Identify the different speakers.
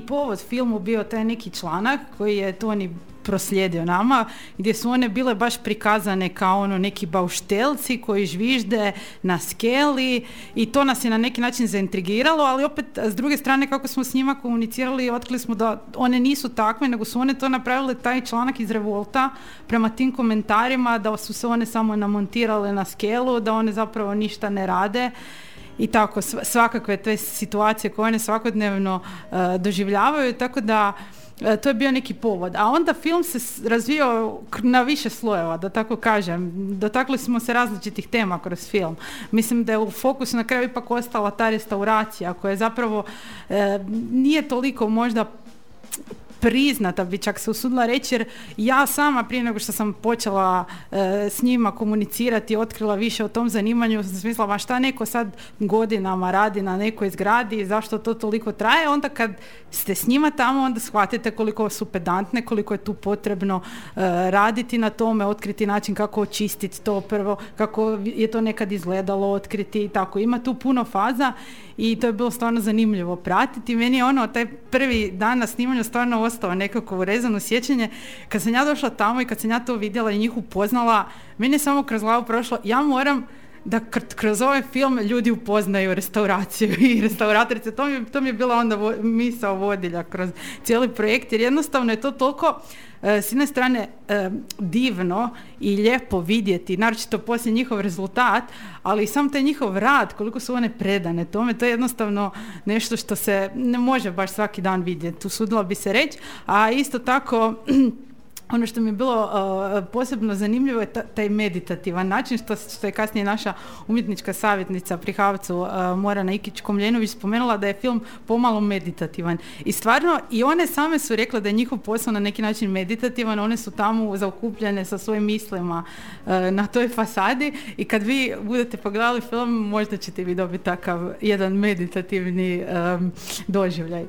Speaker 1: povod filmu bio taj neki članak koji je Toni proslijedio nama, gdje su one bile baš prikazane kao ono neki bauštelci koji žvižde na skeli i to nas je na neki način zaintrigiralo, ali opet s druge strane kako smo s njima komunicirali, otkrili smo da one nisu takve, nego su one to napravile, taj članak iz revolta, prema tim komentarima da su se one samo namontirale na skelu, da one zapravo ništa ne rade i tako, svakakve te situacije koje one svakodnevno doživljavaju, tako da to je bio neki povod. A onda film se razvio na više slojeva, da tako kažem. Dotakli smo se različitih tema kroz film. Mislim da je u fokusu na kraju ipak ostala ta restauracija koja je zapravo nije toliko možda priznata, bi čak se usudila reći, jer ja sama prije nego što sam počela s njima komunicirati, otkrila više o tom zanimanju, sam smislila, ma šta neko sad godinama radi na nekoj zgradi, zašto to toliko traje, onda kad ste s njima tamo, onda shvatite koliko su pedantne, koliko je tu potrebno raditi na tome, otkriti način kako očistiti to prvo, kako je to nekad izgledalo, otkriti i tako. Ima tu puno faza i to je bilo stvarno zanimljivo pratiti. Meni je taj prvi dan na snimanju stvarno ostao nekako urezano sjećanje. Kad sam ja došla tamo i kad sam ja to vidjela i njih upoznala, meni je samo kroz glavu prošlo, ja moram da kroz ovaj film ljudi upoznaju restauraciju i restauratorice. To mi je bila onda misao vodilja kroz cijeli projekt, jer jednostavno je to toliko s jedne strane divno i lijepo vidjeti, naročito poslije njihov rezultat, ali i sam taj njihov rad, koliko su one predane tome, to je jednostavno nešto što se ne može baš svaki dan vidjeti, usudila bi se reći, a isto tako ono što mi je bilo posebno zanimljivo je taj meditativan način, što je kasnije naša umjetnička savjetnica pri HAVC-u Morana Ikić-Komljenović spomenula da je film pomalo meditativan. I stvarno, i one same su rekle da je njihov posao na neki način meditativan, one su tamo zaokupljene sa svojim mislima na toj fasadi i kad vi budete pogledali film, možda ćete vi dobiti takav jedan meditativni doživljaj.